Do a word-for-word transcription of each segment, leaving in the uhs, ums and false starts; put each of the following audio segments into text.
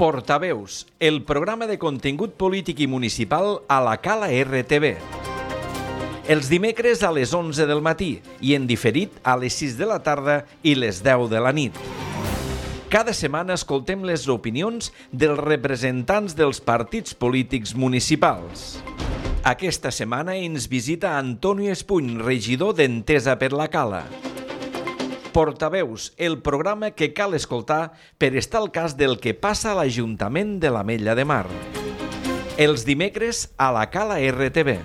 Portaveus, el programa de contingut polític i municipal a la Cala R T V. Els dimecres a les onze del matí i en diferit a les sis de la tarda i les deu de la nit. Cada setmana escoltem les opinions dels representants dels partits polítics municipals. Aquesta setmana ens visita Antonio Espuny, regidor d'Entesa per la Cala. Portaveus, el programa que cal escoltar per estar al cas del que passa a l'Ajuntament de l'Ametlla de Mar. Els dimecres a la Cala R T V.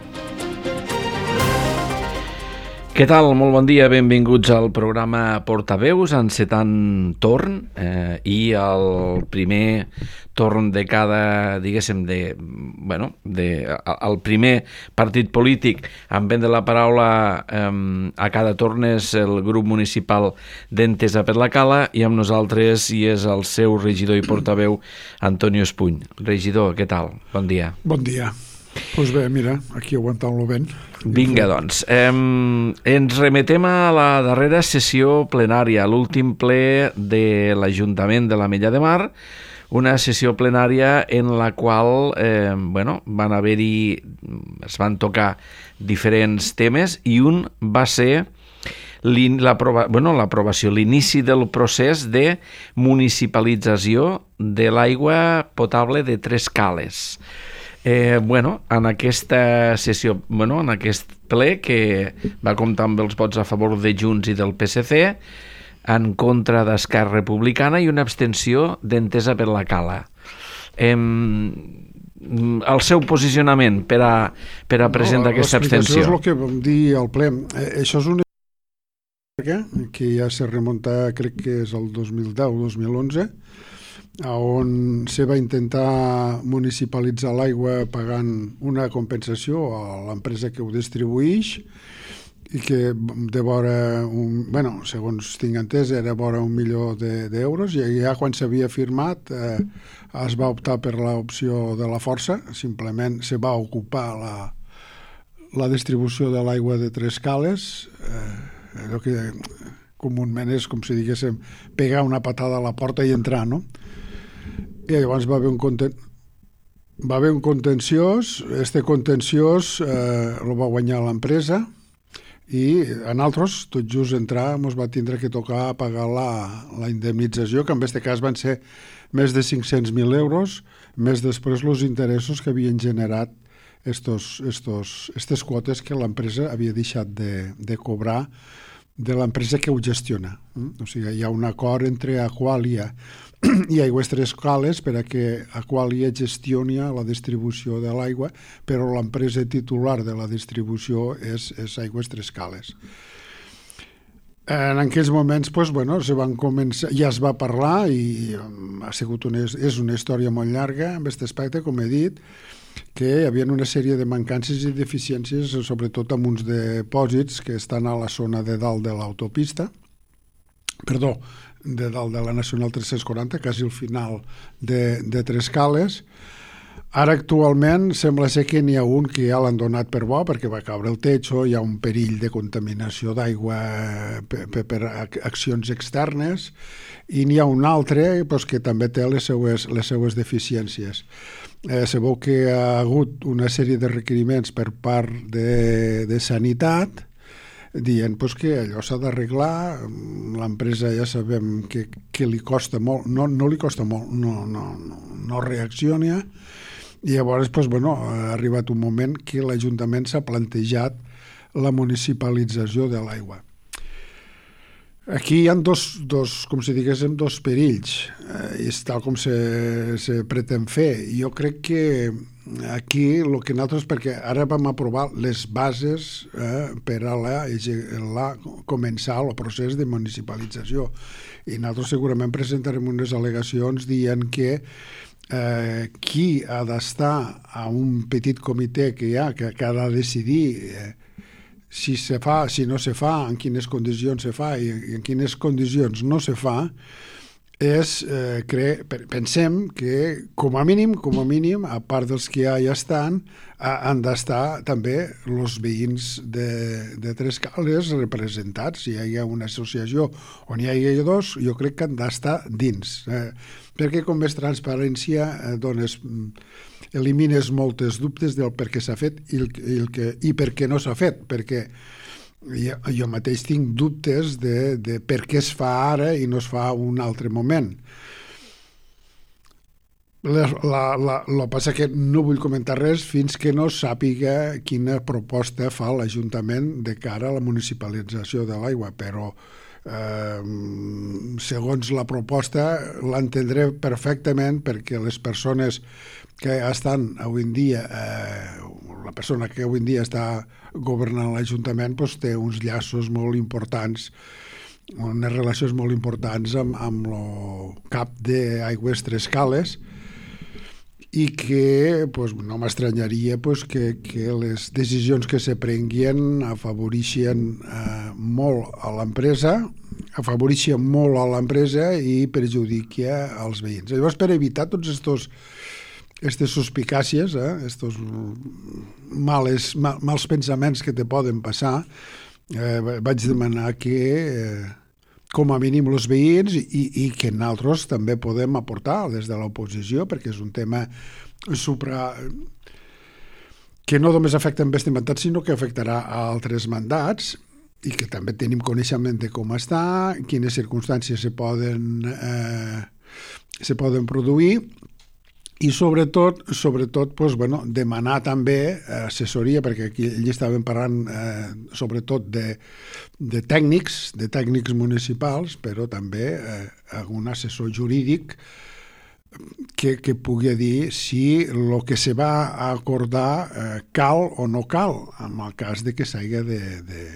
Què tal? Molt bon dia, benvinguts al programa Portaveus, encetant torn eh, i el primer torn de cada, diguéssim, de, bueno, de, el primer partit polític en vendre la paraula eh, a cada torn és el grup municipal d'Entesa per la Cala i amb nosaltres hi és el seu regidor i portaveu Antonio Espuny. Regidor, què tal? Bon dia. Bon dia. Doncs pues bé, mira, aquí aguantant-lo ben. Vinga, doncs. Eh, ens remetem a la darrera sessió plenària, l'últim ple de l'Ajuntament de l'Ametlla de Mar, una sessió plenària en la qual eh, bueno, van haver-hi, es van tocar diferents temes i un va ser l'aprovació, bueno, l'aprovació, l'inici del procés de municipalització de l'aigua potable de Tres Cales. Eh, bueno, en aquesta sessió, bueno, en aquest ple que va comptar amb els vots a favor de Junts i del P S C, en contra d'Esquerra Republicana i una abstenció d'Entesa per la Cala. Eh, el seu posicionament per a, per a presentar no, aquesta abstenció. L'explicació és el que vam dir al ple. Eh, això és una que ja se remunta, crec que és el dos mil deu dos mil onze, on se va intentar municipalitzar l'aigua pagant una compensació a l'empresa que ho distribuïx i que de vora, un, bueno, segons tinc entès, era vora un milió d'euros de, i ja quan s'havia firmat eh, es va optar per l'opció de la força, simplement se va ocupar la, la distribució de l'aigua de Tres Cales, eh, allò que comúment és com si diguéssim pegar una patada a la porta i entrar, no? I llavors va haver un conten... va haver un contenciós, este contenciós eh, el va guanyar l'empresa i a nosaltres, tot just entrar, ens va tindre que tocar pagar la, la indemnització, que en aquest cas van ser més de cinc-cents mil euros, més després els interessos que havien generat estos, estos, estes quotes que l'empresa havia deixat de, de cobrar de l'empresa que ho gestiona. O sigui, hi ha un acord entre Aqualia i Aigües Tres Cales per a que Aqualia gestioni la distribució de l'aigua, però l'empresa titular de la distribució és, és Aigües Tres Cales. En aquells moments pues, bueno, se van començar, ja es va parlar i ha sigut una, és una història molt llarga en aquest aspecte, com he dit, que hi havia una sèrie de mancances i deficiències, sobretot amb uns depòsits que estan a la zona de dalt de l'autopista, perdó, de dalt de la Nacional tres-cents quaranta, quasi al final de, de Tres Cales. Ara actualment sembla ser que n'hi ha un que ja l'han donat per bo perquè va caure el techo, hi ha un perill de contaminació d'aigua per, per, per accions externes i n'hi ha un altre pues, que també té les seues, les seues deficiències. Eh, sabeu que ha hagut una sèrie de requeriments per part de, de Sanitat dient pues, que allò s'ha d'arreglar, l'empresa ja sabem que, que li costa molt, no, no li costa molt, no, no, no, no reacciona, i llavors pues, bueno, ha arribat un moment que l'Ajuntament s'ha plantejat la municipalització de l'aigua. Aquí hi ha dos, dos, com si diguéssim, dos perills, eh, és tal com se, se pretén fer. Jo crec que aquí el que nosaltres, perquè ara vam aprovar les bases eh, per a la, la, començar el procés de municipalització i nosaltres segurament presentarem unes al·legacions dient que eh, qui ha d'estar a un petit comitè que hi ha, que, que ha de decidir eh, si se fa, si no se fa, en quines condicions se fa i en quines condicions no se fa, és, eh, cre... pensem que com a mínim, com a mínim, a part dels que ja hi estan, han d'estar també els veïns de, de Trescales representats. Si hi ha una associació on hi hagi dos, jo crec que han d'estar dins. Eh, perquè com més transparència eh, dones, elimines moltes dubtes del per què s'ha fet i, el, i, el que, i per què no s'ha fet, perquè jo, jo mateix tinc dubtes de, de per què es fa ara i no es fa un altre moment. La, la, la, la passa que no vull comentar res fins que no sàpiga quina proposta fa l'Ajuntament de cara a la municipalització de l'aigua, però eh, segons la proposta l'entendré perfectament, perquè les persones que estan avui en dia, eh, la persona que avui en dia està governant l'Ajuntament doncs té uns llaços molt importants, unes relacions molt importants amb, amb el cap d'Aigües Trescales, i que pues, no m'estranyaria pues, que, que les decisions que se prenguien afavoreixen eh, molt a l'empresa, afavoreixen molt a l'empresa i perjudica als veïns. Llavors, per evitar tots estos aquestes suspicàcies, eh, estos males, mal, mals pensaments que te poden passar, eh, vaig demanar que eh, com a mínim els veïns i, i que nosaltres també podem aportar des de l'oposició, perquè és un tema supra... que no només afecta en este mandat, sinó que afectarà a altres mandats i que també tenim coneixement de com està, quines circumstàncies se poden, eh, se poden produir, i sobretot, sobretot doncs, bueno, demanar també assessoria, perquè aquí allí estàvem parlant eh, sobretot de, de tècnics, de tècnics municipals, però també eh, un assessor jurídic que, que pugui dir si el que se va acordar eh, cal o no cal, en el cas de que s'hagi de, de,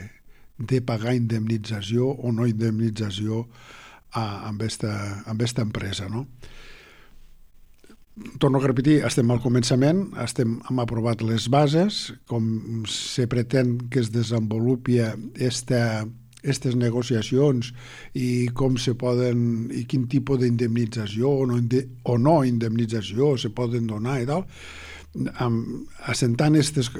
de pagar indemnització o no indemnització a, amb esta, amb esta empresa, no? Torno a repetir, estem al començament, estem, hem aprovat les bases, com se pretén que es desenvolupi aquestes negociacions i com se poden, i quin tipus d'indemnització o, no, o no indemnització se poden donar i tal, assentant, estes,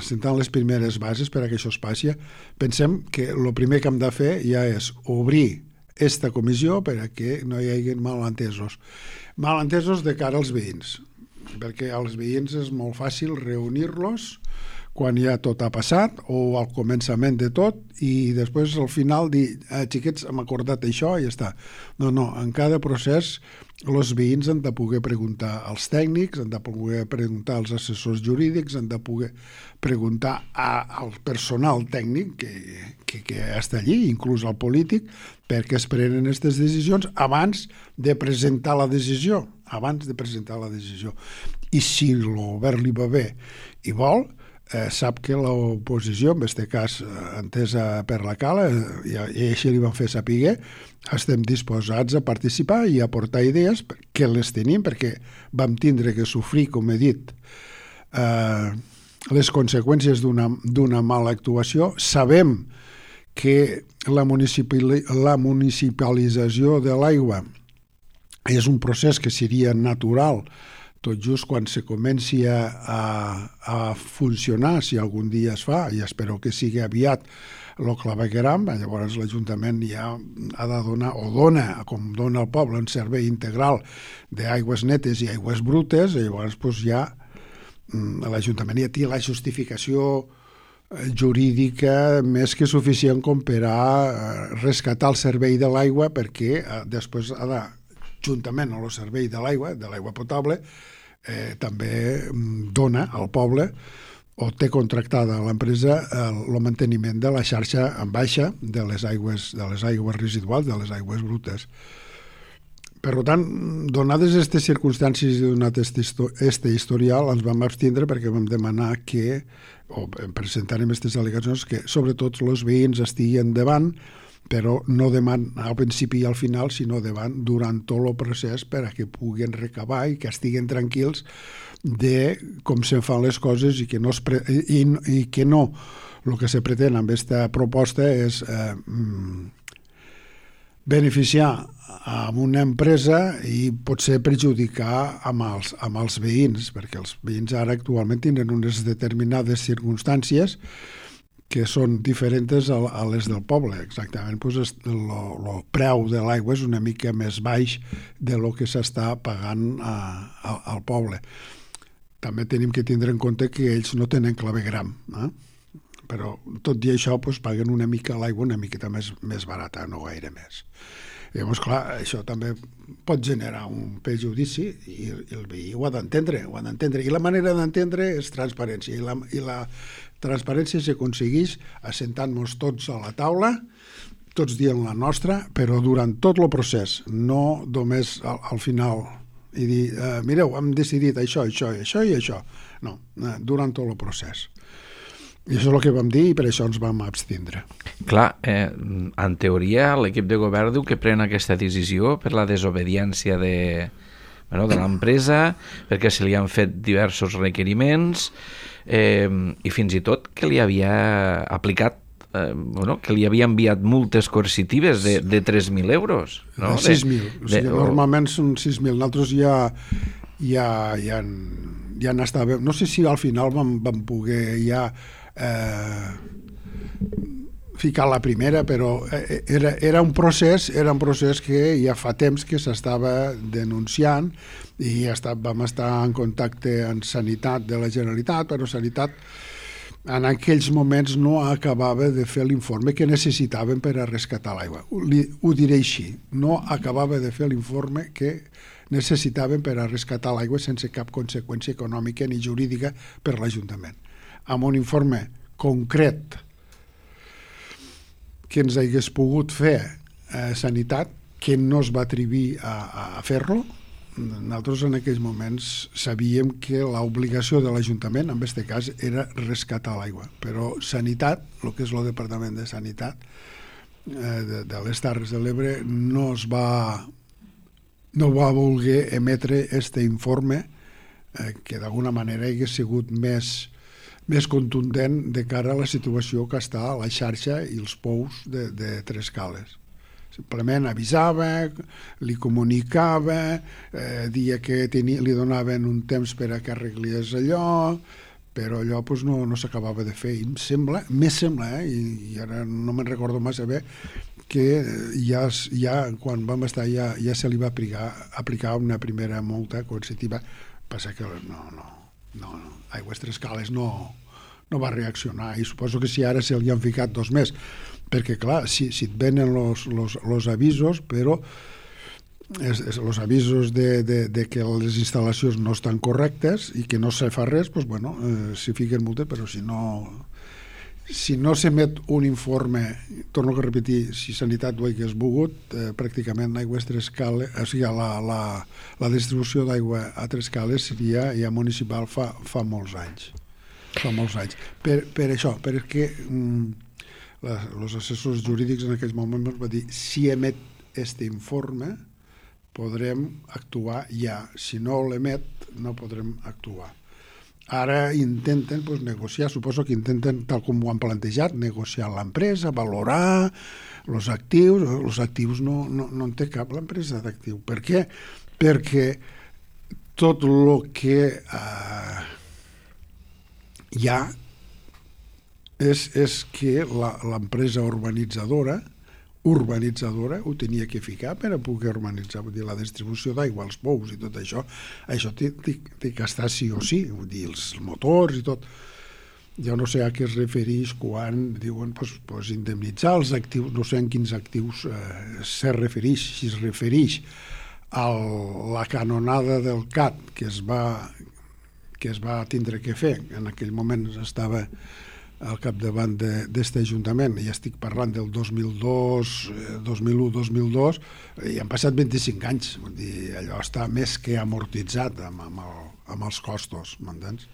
assentant les primeres bases per a que això es passi, pensem que el primer que hem de fer ja és obrir esta comissió per a que no hi hagi malentesos. Malentesos de cara als veïns, perquè als veïns és molt fàcil reunir-los quan ja tot ha passat o al començament de tot i després al final dir, eh, xiquets, hem acordat això i ja està. No, no, en cada procés els veïns han de poder preguntar als tècnics, han de poder preguntar als assessors jurídics, han de poder preguntar a, al personal tècnic que, que, que està allí, inclús al polític, perquè es prenen aquestes decisions abans de presentar la decisió, abans de presentar la decisió. I si el govern li va bé i vol, eh, sap que l'oposició, en aquest cas eh, entesa per la Cala, eh, i així li van fer saber, estem disposats a participar i a aportar idees, que les tenim, perquè vam tindre que sofrir, com he dit, eh, les conseqüències d'una d'una mala actuació. Sabem que la, municipal, la municipalització de l'aigua és un procés que seria natural tot just quan se comenci a, a, a funcionar, si algun dia es fa, i espero que sigui aviat el clavegueram, llavors l'Ajuntament ja ha de donar, o dona, com dona al poble, un servei integral d'aigües netes i aigües brutes, i llavors doncs, ja l'Ajuntament ja té la justificació jurídica més que suficient com per a rescatar el servei de l'aigua, perquè després ha de, juntament amb el servei de l'aigua, de l'aigua potable, eh, també dona al poble o té contractada a l'empresa el manteniment de la xarxa en baixa de les aigües, de les aigües residuals, de les aigües brutes. Per tant, donades aquestes circumstàncies i donat este historial, ens vam abstindre perquè vam demanar que, o presentarem aquestes al·legacions, que sobretot els veïns estiguen davant, però no davant al principi i al final, sinó davant durant tot el procés per a que puguen recabar i que estiguen tranquils de com se'n fan les coses i que no, es pre i, i que no el que se pretén amb aquesta proposta és eh, beneficiar amb una empresa i potser perjudicar amb els, amb els veïns, perquè els veïns ara actualment tenen unes determinades circumstàncies que són diferents a, a les del poble. Exactament, doncs el preu de l'aigua és una mica més baix de lo que s'està pagant a, a, al poble. També tenim que tindre en compte que ells no tenen clavegram, eh? Però tot i això doncs, paguen una mica l'aigua una miqueta més, més barata, no gaire més. I llavors, clar, això també pot generar un perjudici i el veí ho ha d'entendre, ho ha d'entendre. I la manera d'entendre és transparència. I la, i la transparència s'aconsegueix assentant-nos tots a la taula, tots dient la nostra, però durant tot el procés, no només al, al final i dir, eh, mireu, hem decidit això, això, això i això. No, eh, durant tot el procés. I això és el que vam dir i per això ens vam abstindre. Clar, eh, en teoria l'equip de govern diu que pren aquesta decisió per la desobediència de, bueno, de l'empresa, perquè se li han fet diversos requeriments eh, i fins i tot que li havia aplicat, eh, bueno, que li havia enviat multes coercitives de, de tres mil euros. No? De sis mil. O sigui, de, normalment són sis mil. Nosaltres ja, ja, ja, ja n'estàvem... No sé si al final vam, vam poder ja Eh, ficar la primera, però era, era un procés era un procés que ja fa temps que s'estava denunciant i estat, vam estar en contacte amb Sanitat de la Generalitat, però Sanitat en aquells moments no acabava de fer l'informe que necessitaven per a rescatar l'aigua. Ho diré així, no acabava de fer l'informe que necessitaven per a rescatar l'aigua sense cap conseqüència econòmica ni jurídica per l'Ajuntament. Amb un informe concret que ens hagués pogut fer eh, Sanitat, que no es va atrevir a, a fer-lo. Nosaltres en aquells moments sabíem que l'obligació de l'Ajuntament, en aquest cas, era rescatar l'aigua. Però Sanitat, el que és el Departament de Sanitat eh, de, de les Terres de l'Ebre, no es va no va voler emetre aquest informe eh, que d'alguna manera hagués sigut més més contundent de cara a la situació que està a la xarxa i els pous de, de Tres Cales. Simplement avisava, li comunicava, eh, dia que tenia, li donaven un temps per a que arreglés allò, però allò pues, no, no s'acabava de fer. I em sembla, més sembla, eh, i, i ara no me'n recordo massa bé, que ja, ja quan vam estar ja, ja se li va aplicar, aplicar una primera multa coercitiva. Passa que no, no, no, no. Aigües Tres Cales no, no va reaccionar i suposo que si ara se li han ficat dos més, perquè clar, si, si et venen els avisos, però els avisos de, de, de que les instal·lacions no estan correctes i que no se fa res, doncs bueno, eh, s'hi fiquen multes, però si no si no s'emet un informe, torno a repetir, si Sanitat ho hagués volgut, eh, pràcticament Aigües Tres Cales, o sigui, la, la, la distribució d'aigua a Tres Cales seria ja municipal fa, fa molts anys. Fa molts anys. Per, per això, perquè mm, els assessors jurídics en aquells moments van dir si emet aquest informe podrem actuar ja. Si no l'emet, no podrem actuar. Ara intenten pues, negociar, suposo que intenten, tal com ho han plantejat, negociar l'empresa, valorar els actius. Els actius no, no, no en té cap l'empresa d'actiu. Per què? Perquè tot el que eh, hi ha és, és que l'empresa urbanitzadora urbanitzadora ho tenia que ficar per a poder urbanitzar, vull dir, la distribució d'aigua, els pous i tot això, això té, té, té que estar sí o sí, vull dir, els motors i tot. Jo no sé a què es refereix quan diuen pues, pues, indemnitzar els actius, no sé en quins actius eh, se refereix, si es refereix a la canonada del C A T que es va, que es va tindre que fer, en aquell moment estava al capdavant d'aquest Ajuntament, ja estic parlant del dos mil dos, dos mil u, dos mil dos, i han passat vint-i-cinc anys, vull dir, allò està més que amortitzat amb, amb, el, amb els costos, m'entens?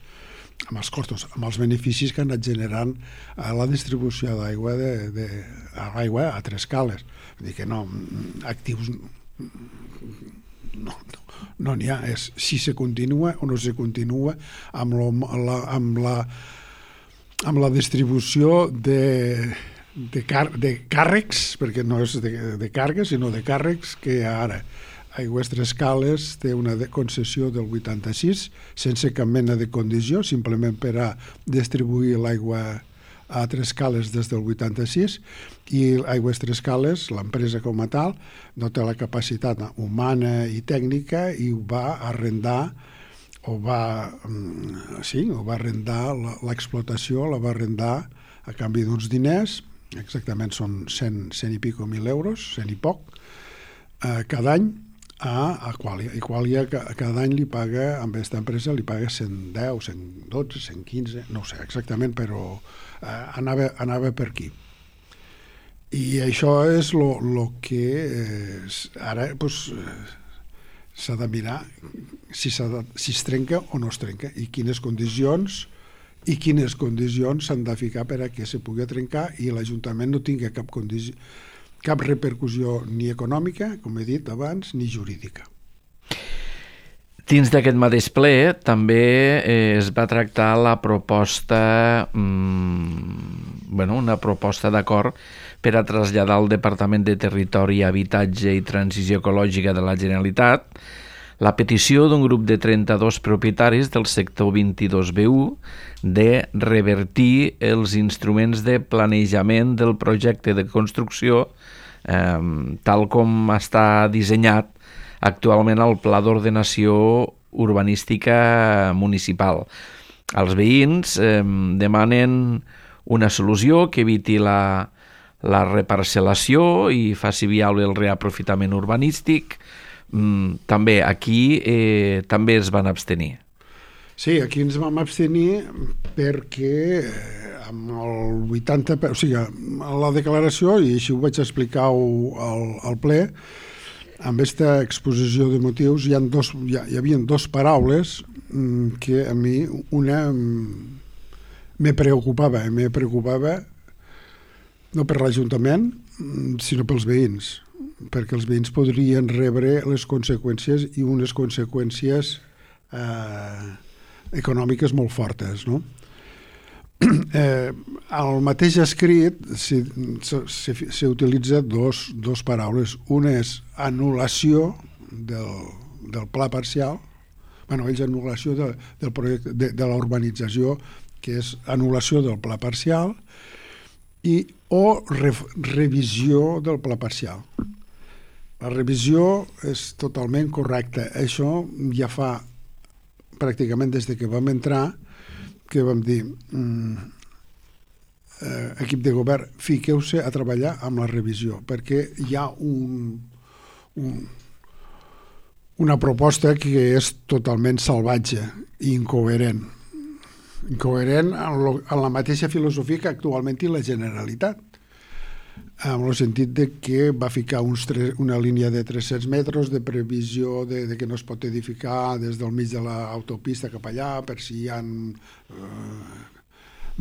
Amb els costos, amb els beneficis que han anat generant a la distribució d'aigua de, de, a l'aigua a Tres Cales. Vull dir que no, actius no no n'hi no ha, és si se continua o no se continua amb, lo, la, amb la amb la distribució de, de, car de càrrecs, perquè no és de, de càrregues, sinó de càrrecs, que ara Aigües Tres Cales té una concessió del vuitanta-sis, sense cap mena de condició, simplement per a distribuir l'aigua a Tres Cales des del vuitanta-sis, i Aigües Tres Cales, l'empresa com a tal, no té la capacitat humana i tècnica i ho va arrendar, o va, sí, o va arrendar l'explotació, la va arrendar a canvi d'uns diners, exactament són cent, cent i pico mil euros, cent i poc, eh, cada any, a Aqualia. Aqualia cada any li paga, amb aquesta empresa, li paga cent deu, cent dotze, cent quinze, no ho sé exactament, però eh, anava, anava per aquí. I això és el que eh, ara pues, s'ha de mirar si, de, si es trenca o no es trenca i quines condicions i quines condicions s'han de ficar per a que se pugui trencar i l'Ajuntament no tingui cap condició, cap repercussió ni econòmica, com he dit abans, ni jurídica. Dins d'aquest mateix ple també eh, es va tractar la proposta, mmm, bueno, una proposta d'acord per a traslladar al Departament de Territori, Habitatge i Transició Ecològica de la Generalitat la petició d'un grup de trenta-dos propietaris del sector vint-i-dos B u de revertir els instruments de planejament del projecte de construcció eh, tal com està dissenyat actualment al Pla d'Ordenació Urbanística Municipal. Els veïns eh, demanen una solució que eviti la, la reparcel·lació i faci viable el reaprofitament urbanístic. Mm, també aquí eh, també es van abstenir. Sí, aquí ens vam abstenir perquè amb el vuitanta per cent, o sigui, la declaració, i així ho vaig explicar al, al ple, amb aquesta exposició de motius hi, ha dos, hi, ha, hi havia dos paraules que a mi una me preocupava, me preocupava no per l'Ajuntament, sinó pels veïns, perquè els veïns podrien rebre les conseqüències i unes conseqüències eh, econòmiques molt fortes, no? Eh, al mateix escrit s'utilitza dos, dos paraules. Una és anul·lació del, del pla parcial, bueno, ells anul·lació de, del projecte, de, de la urbanització, que és anul·lació del pla parcial, i o re, revisió del pla parcial. La revisió és totalment correcta. Això ja fa pràcticament des de que vam entrar que vam dir mm, eh, equip de govern, fiqueu-se a treballar amb la revisió, perquè hi ha un, un, una proposta que és totalment salvatge i incoherent. Incoherent en, lo, en la mateixa filosofia que actualment té la Generalitat, en el sentit de que va ficar uns tres, una línia de tres-cents metres de previsió de, de que no es pot edificar des del mig de l'autopista cap allà per si hi ha eh,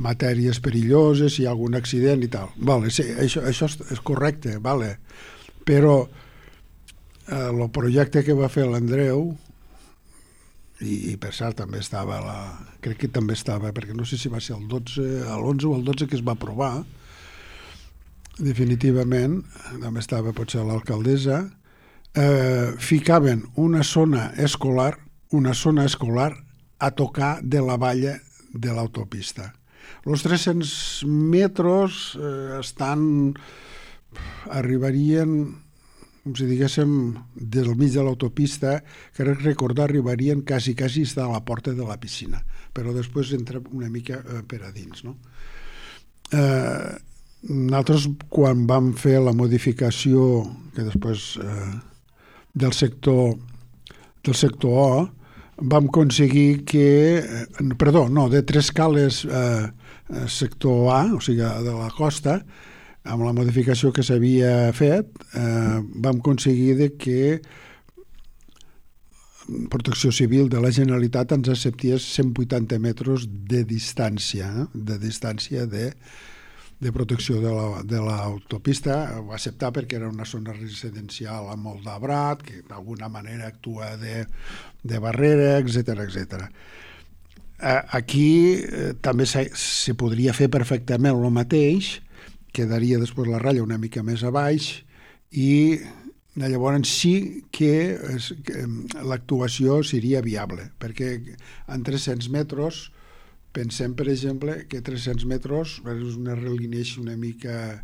matèries perilloses, si hi ha algun accident i tal. Vale, sí, això, això és correcte, vale. Però el eh, projecte que va fer l'Andreu, i, i per cert també estava, la, crec que també estava, perquè no sé si va ser el dotze, l'onze o el dotze que es va aprovar, definitivament, també estava potser l'alcaldessa, eh, ficaven una zona escolar, una zona escolar a tocar de la valla de l'autopista. Els tres-cents metres eh, estan, arribarien, com si diguéssim, del mig de l'autopista, que recordar arribarien quasi, quasi a la porta de la piscina, però després entra una mica eh, per a dins, no? Eh, Nosaltres, quan vam fer la modificació que després eh, del sector del sector O, vam aconseguir que, eh, perdó, no, de Tres Cales eh, sector A, o sigui, de la costa, amb la modificació que s'havia fet, eh, vam aconseguir de que Protecció Civil de la Generalitat ens acceptés cent vuitanta metres de distància, eh, de distància de de protecció de l'autopista. La, ho va acceptar perquè era una zona residencial amb molt d'arbrat, que d'alguna manera actua de, de barrera, etcètera, etcètera. Aquí eh, també se, se podria fer perfectament el mateix quedaria després la ratlla una mica més a baix i llavors sí que, és, que l'actuació seria viable, perquè en tres-cents metres pensem, per exemple, que tres-cents metres és una relineixa una mica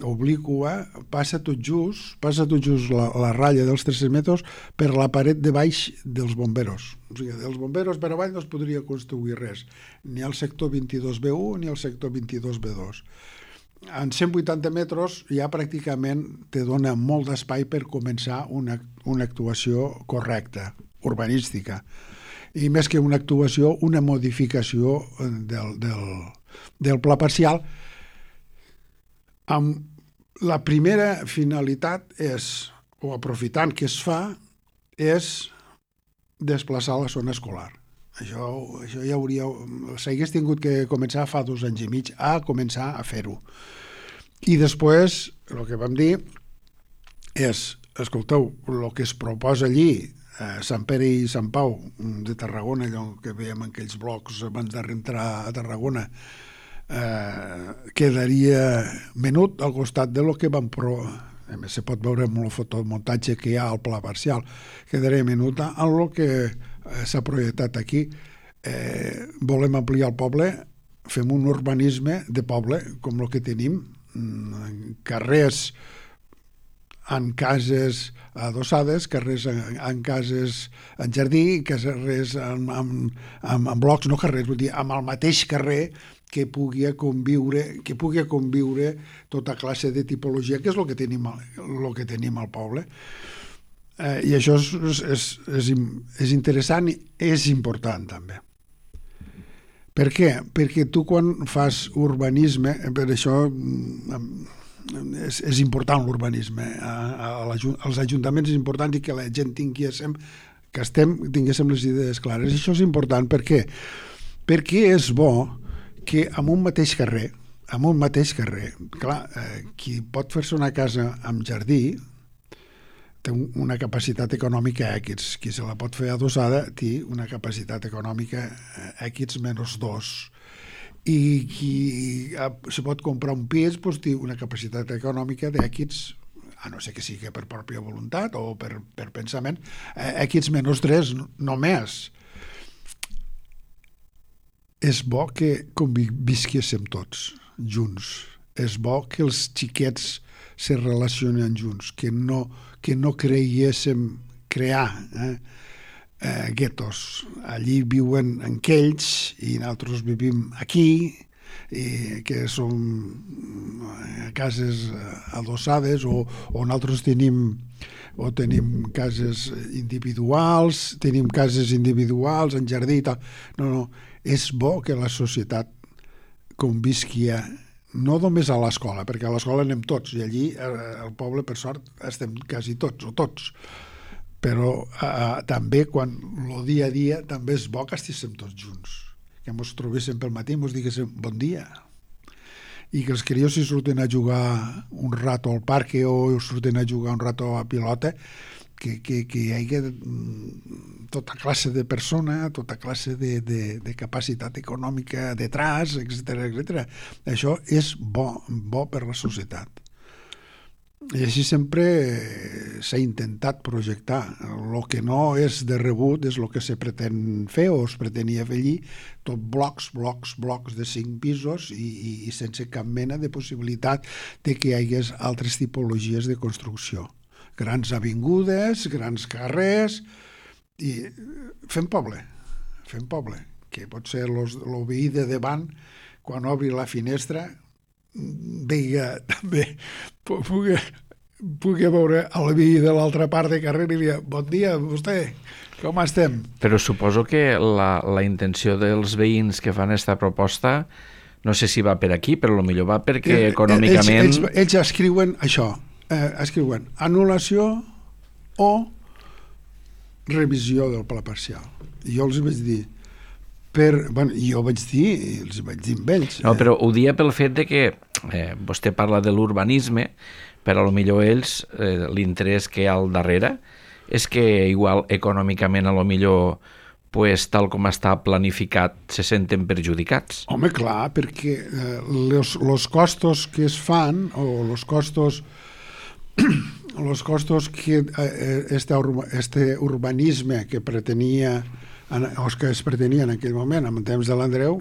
obliqua, passa tot just, passa tot just la, la ratlla dels tres-cents metres per la paret de baix dels bomberos. O sigui, dels bomberos per avall no es podria construir res, ni al sector vint-i-dos B u ni al sector vint-i-dos B dos. En cent vuitanta metres ja pràcticament te dona molt d'espai per començar una, una actuació correcta, urbanística. I més que una actuació, una modificació del, del, del pla parcial. Amb la primera finalitat és, o aprofitant que es fa, és desplaçar la zona escolar. Això, això ja hauria... S'hagués tingut que començar fa dos anys i mig a començar a fer-ho. I després, el que vam dir és, escolteu, el que es proposa allí, a Sant Pere i Sant Pau de Tarragona, allò que veiem en aquells blocs abans d'entrar a Tarragona, Eh, quedaria menut al costat de lo que van pro... A més, se pot veure amb el fotomuntatge que hi ha al pla parcial. Quedaria menut en el que eh, s'ha projectat aquí. Eh, volem ampliar el poble, fem un urbanisme de poble com el que tenim, carrers en cases adossades, carrers en, en cases en jardí, carrers en, en, en, en blocs, no carrers, vull dir, amb el mateix carrer que pugui conviure, que pugui conviure tota classe de tipologia, que és el que tenim, el que tenim al poble. Eh, I això és, és, és, és interessant i és important també. Per què? Perquè tu quan fas urbanisme, per això és, és important l'urbanisme, a, a, a als ajuntaments és important i que la gent tinguéssim, que estem, tinguéssim les idees clares. I això és important, per què? Perquè és bo que en un mateix carrer, en un mateix carrer, clar, eh, qui pot fer-se una casa amb jardí té una capacitat econòmica X, qui se la pot fer adossada té una capacitat econòmica X menys dos, i qui se pot comprar un pis doncs, té una capacitat econòmica d'X, a no ser que sigui per pròpia voluntat o per, per pensament, X menys tres només. És bo que convisquéssim tots junts. És bo que els xiquets se relacionen junts, que no, que no creiéssim crear eh, eh, guetos. Allí viuen aquells i nosaltres vivim aquí, i que són cases adossades o, o nosaltres tenim o tenim cases individuals, tenim cases individuals en jardí i tal. No, no, és bo que la societat convisqui no només a l'escola, perquè a l'escola anem tots i allí al poble per sort estem quasi tots o tots, però eh, també quan el dia a dia també és bo que estiguéssim tots junts, que ens trobéssim pel matí i ens diguéssim bon dia, i que els crios si surten a jugar un rato al parc o surten a jugar un rato a pilota, que, que, que hi hagi tota classe de persona, tota classe de, de, de capacitat econòmica detrás, etcètera, etcètera. Això és bo, bo per la societat. I així sempre s'ha intentat projectar. El que no és de rebut és el que se pretén fer o es pretenia fer allí, tot blocs, blocs, blocs de cinc pisos i, i, i sense cap mena de possibilitat de que hi hagués altres tipologies de construcció. Grans avingudes, grans carrers, i fem poble, fem poble, que pot ser el veí de davant, quan obri la finestra, veiga també, pugui, pugui veure el veí de l'altra part de carrer i dir, bon dia, vostè, com estem? Però suposo que la, la intenció dels veïns que fan aquesta proposta, no sé si va per aquí, però potser va perquè econòmicament... Ells, ells, ells escriuen això, eh, escriuen anul·lació o revisió del pla parcial. I jo els vaig dir, per, bueno, jo vaig dir, els vaig dir amb ells. No, però ho dia pel fet de que eh, vostè parla de l'urbanisme, però potser ells, eh, l'interès que hi ha al darrere és que igual econòmicament a lo millor pues, tal com està planificat, se senten perjudicats? Home, clar, perquè eh, los, los costos que es fan, o los costos los costos que eh, este, urba, este urbanisme que pretenia o que es pretenia en aquell moment, en temps de l'Andreu,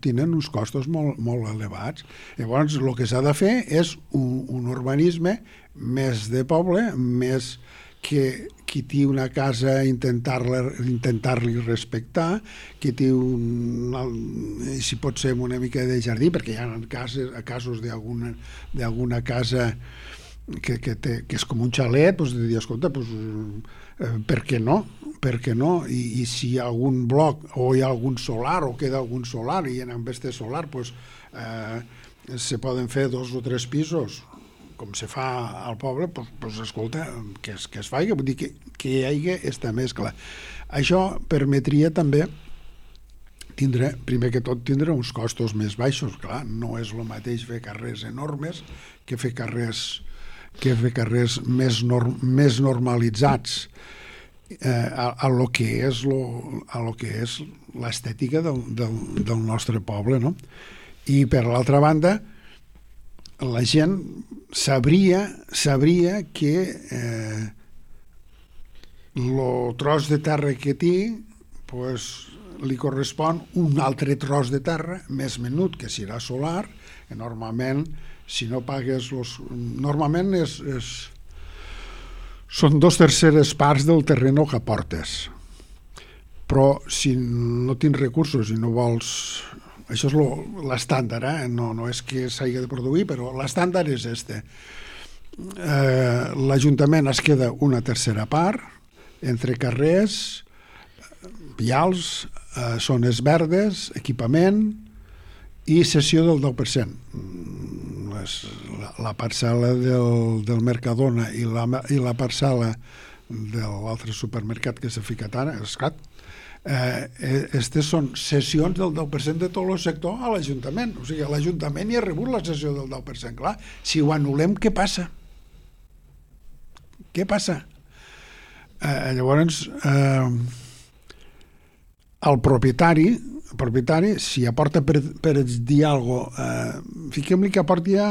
tenen uns costos molt, molt elevats. Llavors, el que s'ha de fer és un, un urbanisme més de poble, més que qui té una casa intentar-la intentar-li respectar, qui té un, si pot ser una mica de jardí, perquè hi ha casos, casos d'alguna d'alguna casa que, que, té, que és com un xalet, doncs de dir, escolta, doncs, eh, per què no? Per què no? I, i si hi ha algun bloc o hi ha algun solar o queda algun solar i en este solar doncs, eh, se poden fer dos o tres pisos com se fa al poble, doncs, doncs escolta, que es, que es faci, vull dir que, que hi hagi aquesta mescla. Això permetria també tindre, primer que tot, tindre uns costos més baixos. Clar, no és el mateix fer carrers enormes que fer carrers que fer carrers més, norm, més normalitzats eh, a, a lo que és lo, a lo que és l'estètica del, del, del nostre poble, no? I per l'altra banda, la gent sabria, sabria que eh, lo tros de terra que té pues, li correspon un altre tros de terra més menut, que serà solar, que normalment si no pagues los... normalment és, és... són dos terceres parts del terreno que aportes, però si no tens recursos i no vols... això és l'estàndard, eh? no, no és que s'hagi de produir, però l'estàndard és este. Eh, l'Ajuntament es queda una tercera part entre carrers, vials, eh, zones verdes, equipament i cessió del deu per cent. La, la parcel·la del, del Mercadona i la, i la parcel·la de l'altre supermercat que s'ha ficat ara, Escat, eh, estes són cessions del deu per cent de tot el sector a l'Ajuntament. O sigui, l'Ajuntament hi ha rebut la cessió del deu per cent. Clar, si ho anul·lem, què passa? Què passa? Eh, llavors, eh, el propietari el propietari, si aporta per, per dir alguna cosa, eh, fiquem-li que aporti ja,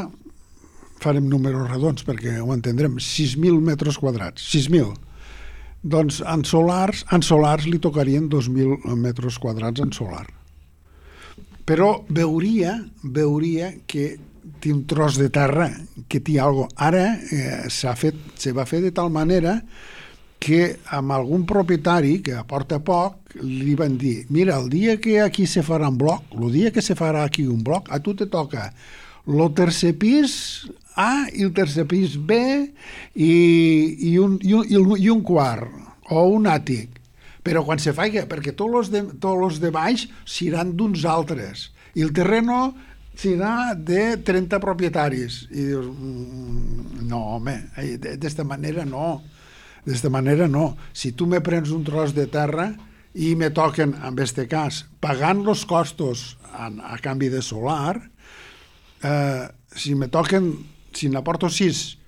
farem números redons perquè ho entendrem, sis mil metres quadrats, sis mil. Doncs en solars, en solars li tocarien dos mil metres quadrats en solar. Però veuria, veuria que té un tros de terra, que té alguna cosa. Ara eh, s'ha fet, se va fer de tal manera que amb algun propietari que aporta poc li van dir, mira, el dia que aquí se farà un bloc, el dia que se farà aquí un bloc, a tu te toca el tercer pis A i el tercer pis B i, i, un, i, un, i un quart o un àtic, però quan se faci, perquè tots els de, tots els de baix seran d'uns altres i el terreno serà de trenta propietaris i dius, no home, d'esta manera no. D'esta manera no. Si tu me prens un tros de terra i me toquen, en aquest cas, pagant els costos a, a canvi de solar, eh, si me toquen, si n'aporto sis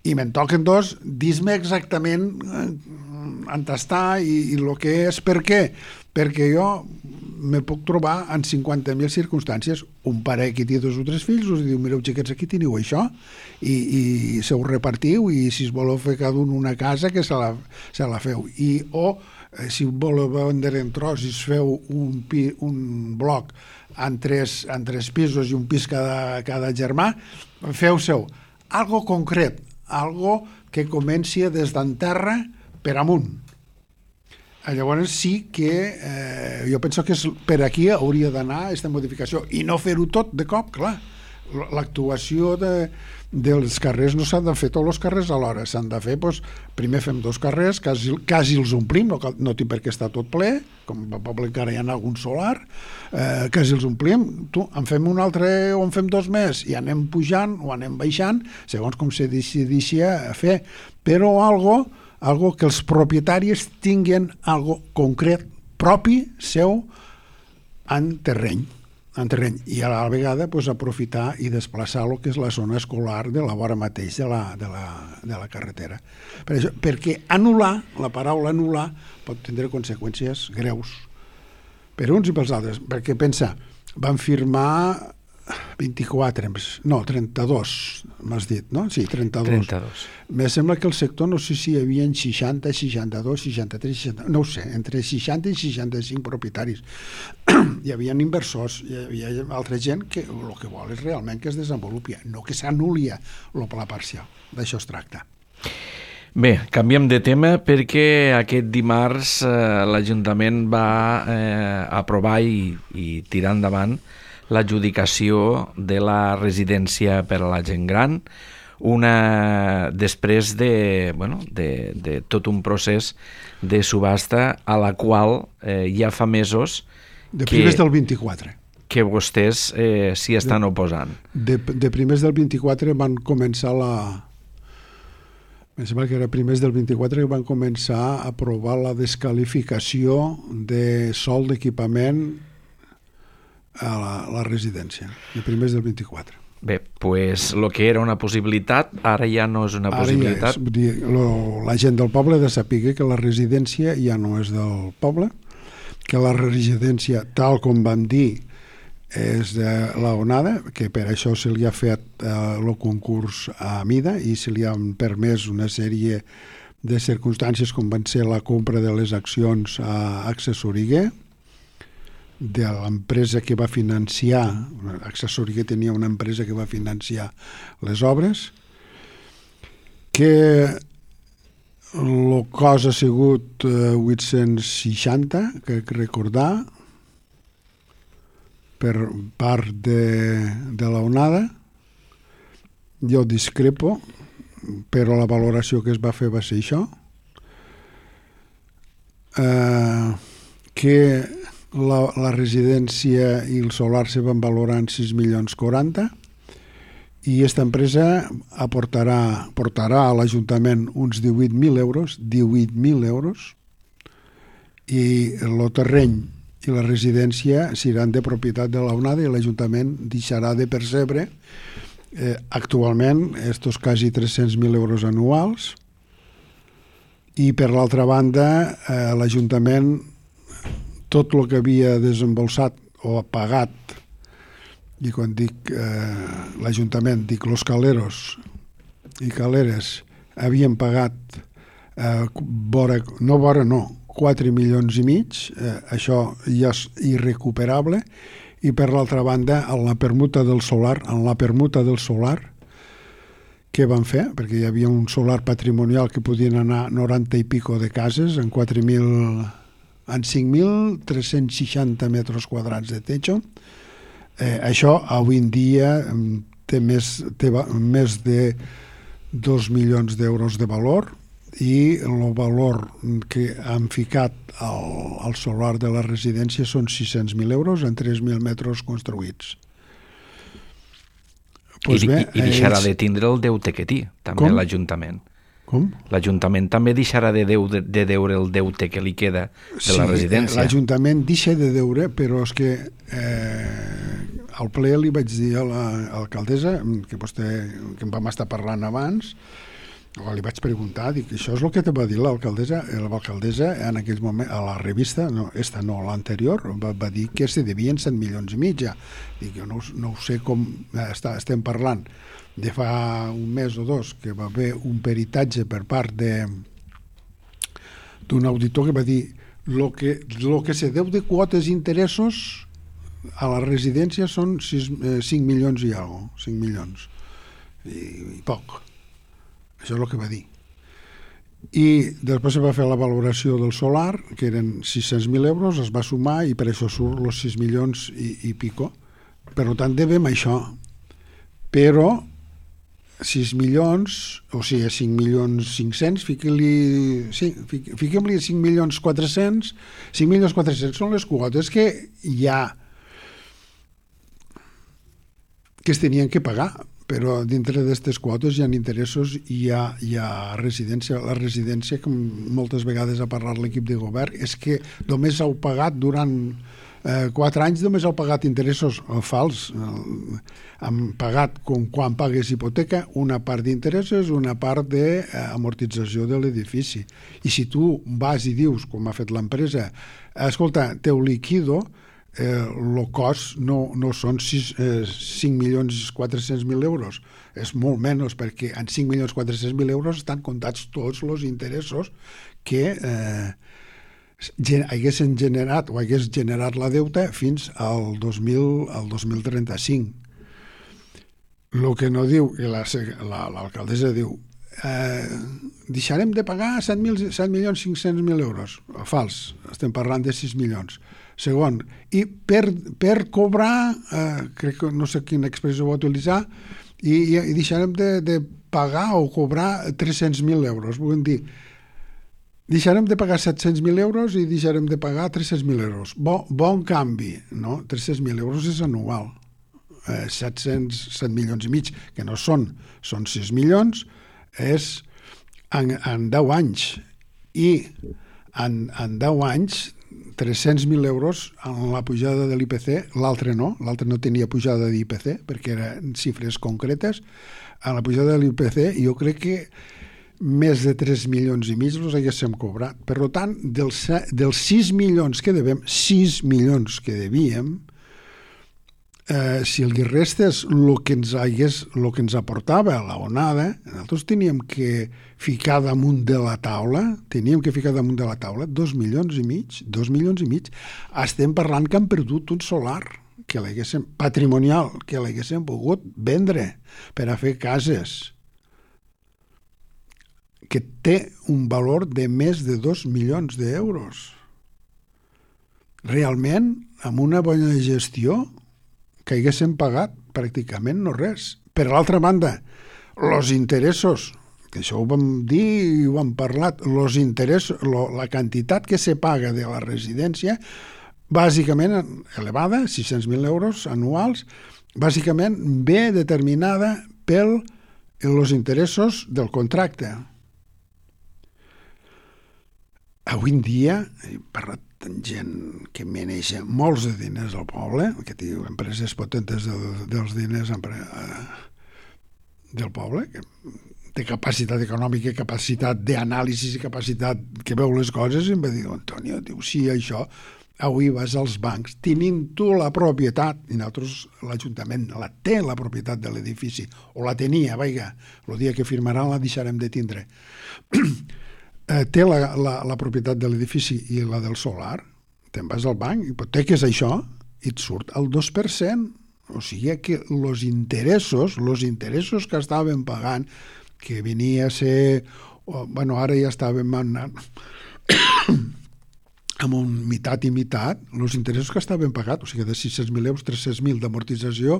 i me'n toquen dos, dis-me exactament eh, on està i, i el que és. Per què? Perquè jo me puc trobar en cinquanta mil circumstàncies. Un pare que té dos o tres fills us diu, mireu xiquets, aquí teniu això i, i se ho repartiu i si es voleu fer cada un una casa que se la, se la feu. I, o eh, si voleu vendre en tros i es feu un, pi, un bloc en tres, en tres pisos i un pis cada, cada germà, feu seu. Algo concret, algo que comenci des d'en terra per amunt. Llavors sí que eh, jo penso que és, per aquí hauria d'anar aquesta modificació i no fer-ho tot de cop, clar. L'actuació de, dels carrers no s'han de fer tots els carrers alhora, s'han de fer, doncs, primer fem dos carrers, quasi, quasi els omplim, no, no té per què estar tot ple, com al poble encara hi ha algun solar, eh, quasi els omplim, tu, en fem un altre o en fem dos més, i anem pujant o anem baixant, segons com se decideixi a fer, però algo algo que els propietaris tinguin algo concret propi seu en terreny. en terreny, i a la vegada pues, aprofitar i desplaçar el que és la zona escolar de la vora mateix de la, de la, de la carretera. Per això, perquè anul·lar, la paraula anul·lar, pot tindre conseqüències greus per uns i pels altres, perquè pensa, van firmar vint-i-quatre, no, trenta-dos, m'has dit, no? Sí, trenta-dos. trenta-dos. Me sembla que el sector, no sé si hi havia seixanta, seixanta-dos, seixanta-tres, seixanta... no ho sé, entre seixanta i seixanta-cinc propietaris. Hi havia inversors, hi havia altra gent que el que vol és realment que es desenvolupi, no que s'anul·li el pla parcial. D'això es tracta. Bé, canviem de tema perquè aquest dimarts eh, l'Ajuntament va eh, aprovar i, i tirar endavant l'adjudicació de la residència per a la gent gran, una després de, bueno, de, de tot un procés de subhasta a la qual eh, ja fa mesos de primers que, del vint-i-quatre que vostès eh, s'hi estan de, oposant. De, de primers del vint-i-quatre van començar la... Em sembla que era primers del vint-i-quatre que van començar a aprovar la descalificació de sòl d'equipament a la, la residència, de primers del vint-i-quatre. Bé, pues el que era una possibilitat, ara ja no és una ara possibilitat. Ja és, vull dir, lo, la gent del poble ha de saber que la residència ja no és del poble, que la residència, tal com vam dir, és de la onada, que per això se li ha fet el eh, concurs a mida i se li han permès una sèrie de circumstàncies com van ser la compra de les accions a Accessoriguer, de l'empresa que va financiar, Accessori que tenia una empresa que va financiar les obres, que el cost ha sigut eh, vuit-cents seixanta, crec recordar, per part de, de la onada. Jo discrepo, però la valoració que es va fer va ser això, eh, que La, la residència i el solar se van valorar en sis milions quaranta i aquesta empresa aportarà, portarà a l'Ajuntament uns divuit mil euros, divuit mil euros, i el terreny i la residència seran de propietat de la onada i l'Ajuntament deixarà de percebre eh, actualment estos quasi tres-cents mil euros anuals, i per l'altra banda eh, l'Ajuntament tot el que havia desembolsat o pagat, i quan dic eh, l'Ajuntament, dic los caleros i caleres, havien pagat eh, vora, no vora, no, quatre milions i mig, eh, això ja és irrecuperable, i per l'altra banda, en la permuta del solar, en la permuta del solar, què van fer? Perquè hi havia un solar patrimonial que podien anar noranta i pico de cases en quatre mil... en cinc mil tres-cents seixanta metres quadrats de techo. Eh, això avui en dia té més, té més de dos milions d'euros de valor, i el valor que han ficat al, al solar de la residència són sis-cents mil euros en tres mil metres construïts. Pues I, bé, i, I deixarà ells... de tindre el deute que té, també Com? l'Ajuntament. Com? L'Ajuntament també deixarà de, deu, de, de deure el deute que li queda de sí, la residència. L'Ajuntament deixa de deure, però és que eh, al ple li vaig dir a l'alcaldessa, que vostè, que em vam estar parlant abans, o li vaig preguntar, dic, això és el que te va dir l'alcaldessa, l'alcaldessa en aquell moment, a la revista, no, esta no, l'anterior, va, va dir que se devien set milions i mig ja. Dic, jo no, no ho sé com està, estem parlant de fa un mes o dos, que va haver un peritatge per part de d'un auditor que va dir lo que, lo que se deu de quotes i interessos a la residència són sis, eh, cinc milions i alguna cosa, cinc milions i, i poc. Això és el que va dir. I després se va fer la valoració del solar, que eren sis-cents mil euros, es va sumar i per això surt els sis milions i, i pico. Per tant, devem això. Però sis milions, o sigui, cinc milions cinc-cents, fiquem-li sí, fiquem-li cinc milions quatre-cents, cinc milions quatre-cents són les quotes que hi ha, que es tenien que pagar, però dintre d'aquestes quotes hi ha interessos i hi ha, hi ha residència. La residència, com moltes vegades ha parlat l'equip de govern, és que només heu pagat durant eh, quatre anys només heu pagat interessos eh, fals. Eh, han pagat, com quan pagues hipoteca, una part d'interessos, una part d'amortització de l'edifici. I si tu vas i dius, com ha fet l'empresa, escolta, teu liquido, el eh, cost no, no són eh, cinc milions quatre-cents mil euros, és molt menys, perquè en cinc milions quatre-cents mil euros estan comptats tots els interessos que eh, haguessin generat o hagués generat la deuta fins al dos mil, al dos mil trenta-cinc. El que no diu, i l'alcaldessa diu, eh, deixarem de pagar set milions cinc-cents mil euros. Fals, estem parlant de sis milions. Segon, i per, per cobrar, eh, crec que no sé quina expressió va utilitzar, i, i, i deixarem de, de pagar o cobrar tres-cents mil euros. Vull dir, deixarem de pagar set-cents mil euros i deixarem de pagar tres-cents mil euros. Bon, bon canvi, no? tres-cents mil euros és anual. Eh, set-cents set milions i mig, que no són, són sis milions, és en, en deu anys. I en, en deu anys, tres-cents mil euros en la pujada de l'I P C, l'altre no, l'altre no tenia pujada d'I P C perquè eren xifres concretes. En la pujada de l'I P C jo crec que més de tres milions i mig els haguéssim cobrat. Per tant, dels, dels sis milions que devem, sis milions que devíem, eh, si el que restes el que ens hagués, el que ens aportava la onada, nosaltres teníem que ficar damunt de la taula, teníem que ficar damunt de la taula dos milions i mig, dos milions i mig. Estem parlant que han perdut un solar que l'haguéssim, patrimonial, que l'haguéssim pogut vendre per a fer cases, que té un valor de més de dos milions d'euros. Realment, amb una bona gestió, que haguéssim pagat pràcticament no res. Per l'altra banda, els interessos, que això ho vam dir i ho hem parlat, los interessos, lo, la quantitat que se paga de la residència, bàsicament elevada, sis-cents mil euros anuals, bàsicament ve determinada pel els interessos del contracte. Avui en dia, he parlat amb gent que maneja molts de diners al poble, que té empreses potentes de, dels diners del poble, que té capacitat econòmica, capacitat d'anàlisi i capacitat que veu les coses, i em va dir, Antonio, diu, sí, això, avui vas als bancs, tenint tu la propietat, i nosaltres l'Ajuntament la té, la propietat de l'edifici, o la tenia, vaiga, el dia que firmaran la deixarem de tindre. Té la, la, la propietat de l'edifici i la del solar, te'n vas al banc, hipoteques això, i et surt el dos per cent. O sigui que els interessos, els interessos que estàvem pagant, que venia a ser, bueno, ara ja estàvem anant amb un mitat i mitat, els interessos que estaven pagats, o sigui, de sis-cents mil euros, tres-cents mil d'amortització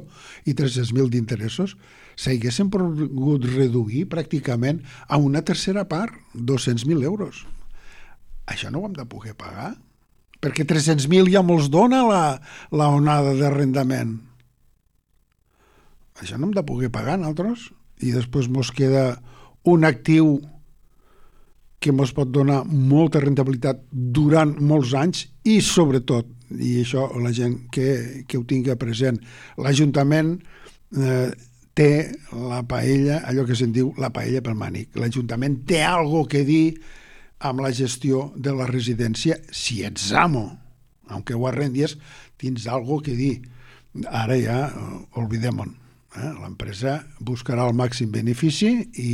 i tres-cents mil d'interessos, s'haguessin pogut reduir pràcticament a una tercera part, dos-cents mil euros. Això no ho hem de poder pagar, perquè tres-cents mil ja mos dona la, la onada d'arrendament. Això no hem de poder pagar nosaltres, i després mos queda un actiu que ens pot donar molta rentabilitat durant molts anys i, sobretot, i això la gent que, que ho tingui present, l'Ajuntament eh, té la paella, allò que se'n diu la paella pel mànic. L'Ajuntament té algo que dir amb la gestió de la residència si ets amo. Aunque ho arrendies, tens algo que dir. Ara ja, olvidem-ho. Eh? L'empresa buscarà el màxim benefici i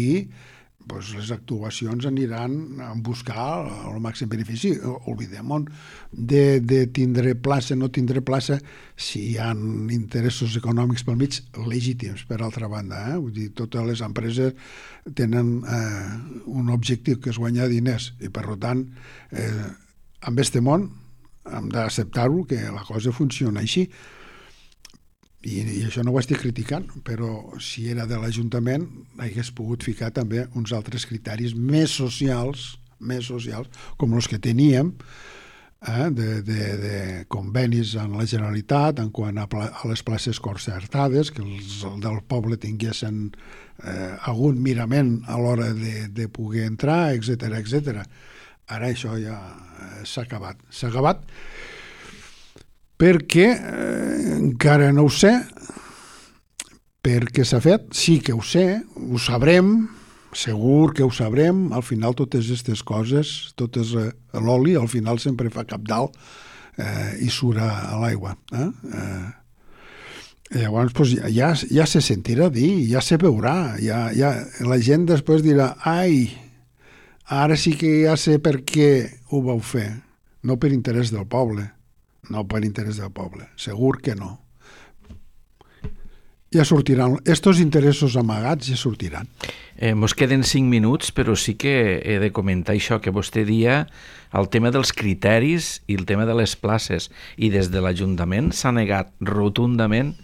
pues les actuacions aniran a buscar el màxim benefici. Oblidem-ho de, de tindre plaça, no tindre plaça, si hi ha interessos econòmics pel mig legítims, per altra banda. Eh? Vull dir, totes les empreses tenen eh, un objectiu que és guanyar diners i, per tant, eh, en este món hem d'acceptar-ho, que la cosa funciona així. I, i això no ho estic criticant, però si era de l'Ajuntament hagués pogut ficar també uns altres criteris més socials, més socials, com els que teníem, eh, de, de, de convenis amb la Generalitat en quant a, pla, a les places concertades, que els del poble tinguessin eh, algun mirament a l'hora de, de poder entrar, etcètera, etcètera. Ara això ja eh, s'ha acabat. S'ha acabat perquè eh, encara no ho sé, perquè s'ha fet, sí que ho sé, ho sabrem, segur que ho sabrem, al final totes aquestes coses, totes eh, l'oli, al final sempre fa cap dalt eh, i surt a l'aigua. Eh? Eh, llavors, pues, ja, ja se sentirà dir, ja se veurà, ja, ja, la gent després dirà, ai, ara sí que ja sé per què ho vau fer, no per interès del poble, no per interès del poble, segur que no. Ja sortiran, estos interessos amagats ja sortiran. Eh, mos queden cinc minuts, però sí que he de comentar això que vostè dia, el tema dels criteris i el tema de les places. I des de l'Ajuntament s'ha negat rotundament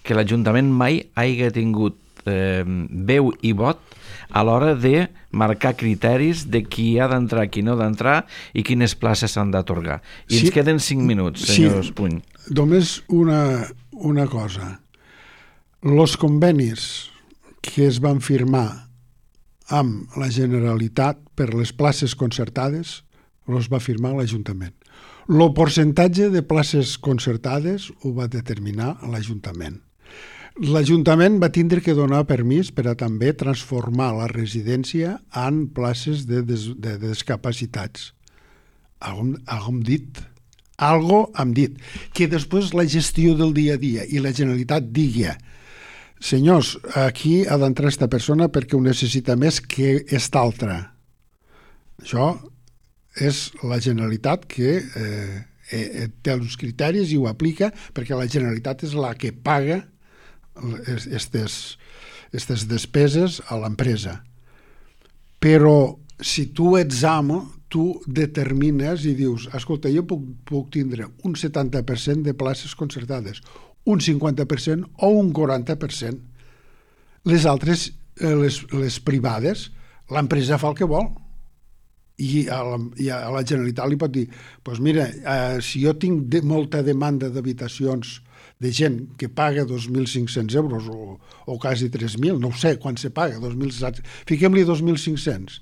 que l'Ajuntament mai hagi tingut eh, veu i vot a l'hora de marcar criteris de qui ha d'entrar, qui no ha d'entrar i quines places s'han d'atorgar. I sí, ens queden cinc minuts, senyor sí, Espuny. Només una, una cosa. Els convenis que es van firmar amb la Generalitat per les places concertades els va firmar l'Ajuntament. El percentatge de places concertades ho va determinar l'Ajuntament. L'Ajuntament va tindre que donar permís per a també transformar la residència en places de, des, de discapacitats. Algo hem dit, algo hem dit, que després la gestió del dia a dia i la Generalitat digui senyors, aquí ha d'entrar aquesta persona perquè ho necessita més que esta altra. Això és la Generalitat que eh, eh, té els criteris i ho aplica perquè la Generalitat és la que paga aquestes despeses a l'empresa. Però si tu ets amo, tu determines i dius, escolta, jo puc, puc tindre un setanta per cent de places concertades, un cinquanta per cent o un quaranta per cent. Les altres, les, les privades, l'empresa fa el que vol. I a la, i a la Generalitat li pot dir, doncs mira, eh, si jo tinc de, molta demanda d'habitacions de gent que paga dos mil cinc-cents euros o, o quasi tres mil, no ho sé quan se paga, dos mil fiquem-li dos mil cinc-cents.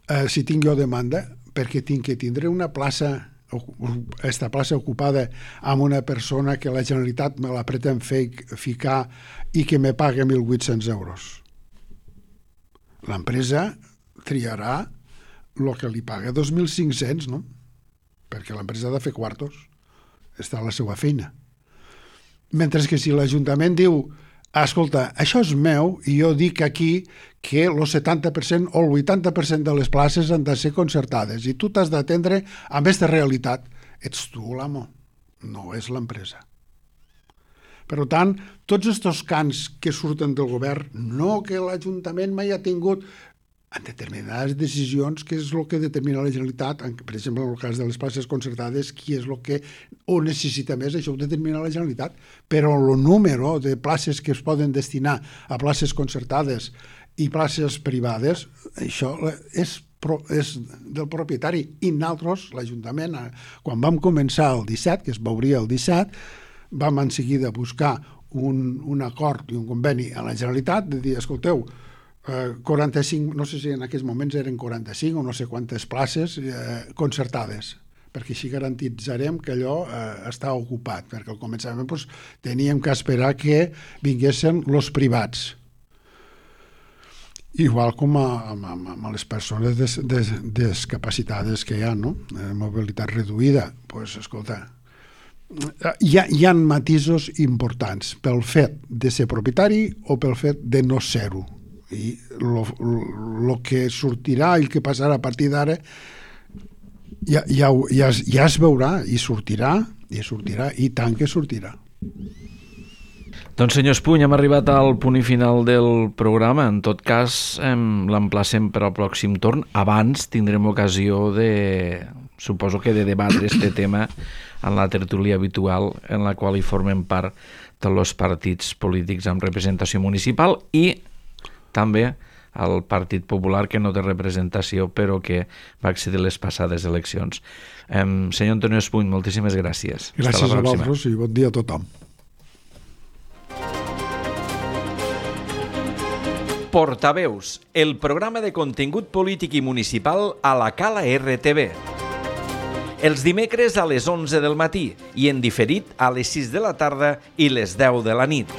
Eh, si tinc jo demanda, perquè tinc que tindre una plaça aquesta plaça ocupada amb una persona que la Generalitat me la pretén fer ficar i que me paga mil vuit-cents euros. L'empresa triarà el que li paga dos mil cinc-cents, no? Perquè l'empresa ha de fer quartos. Està a la seva feina. Mentre que si l'Ajuntament diu escolta, això és meu i jo dic aquí que el setanta per cent o el vuitanta per cent de les places han de ser concertades i tu t'has d'atendre amb aquesta realitat. Ets tu l'amo, no és l'empresa. Per tant, tots aquests cants que surten del govern, no que l'Ajuntament mai ha tingut en determinades decisions, que és el que determina la Generalitat, per exemple, en el cas de les places concertades, qui és el que ho necessita més, això ho determina la Generalitat, però el número de places que es poden destinar a places concertades i places privades, això és, és del propietari. I nosaltres, l'Ajuntament, quan vam començar el disset, que es veuria el disset, vam en seguida buscar un, un acord i un conveni a la Generalitat de dir, escolteu, quaranta-cinc, no sé si en aquells moments eren quaranta-cinc o no sé quantes places eh, concertades, perquè així garantitzarem que allò eh, està ocupat, perquè al començament doncs, teníem que esperar que vinguessin els privats. Igual com a, a, a les persones des, des, discapacitades que hi ha, no? Eh, mobilitat reduïda, doncs, pues, escolta, hi ha, hi ha matisos importants pel fet de ser propietari o pel fet de no ser-ho. I el que sortirà i el que passarà a partir d'ara ja, ja, ja, ja es veurà i sortirà, i sortirà i tant que sortirà. Doncs senyor Espuny, hem arribat al punt i final del programa. En tot cas, l'emplacem per al pròxim torn. Abans tindrem ocasió de, suposo que de debatre este tema en la tertúlia habitual en la qual hi formen part tots els partits polítics amb representació municipal i també el Partit Popular, que no té representació, però que va accedir a les passades eleccions. Eh, senyor Antonio Espuny, moltíssimes gràcies. Gràcies a vosaltres i bon dia a tothom. Portaveus, el programa de contingut polític i municipal a la Cala R T V. Els dimecres a les onze del matí i en diferit a les sis de la tarda i les deu de la nit.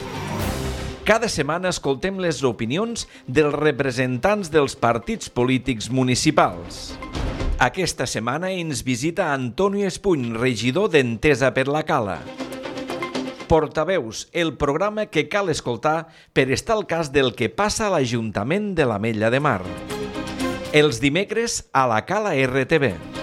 Cada setmana escoltem les opinions dels representants dels partits polítics municipals. Aquesta setmana ens visita Antonio Espuny, regidor d'Entesa per la Cala. Portaveus, el programa que cal escoltar per estar al cas del que passa a l'Ajuntament de l'Ametlla de Mar. Els dimecres a la Cala R T V.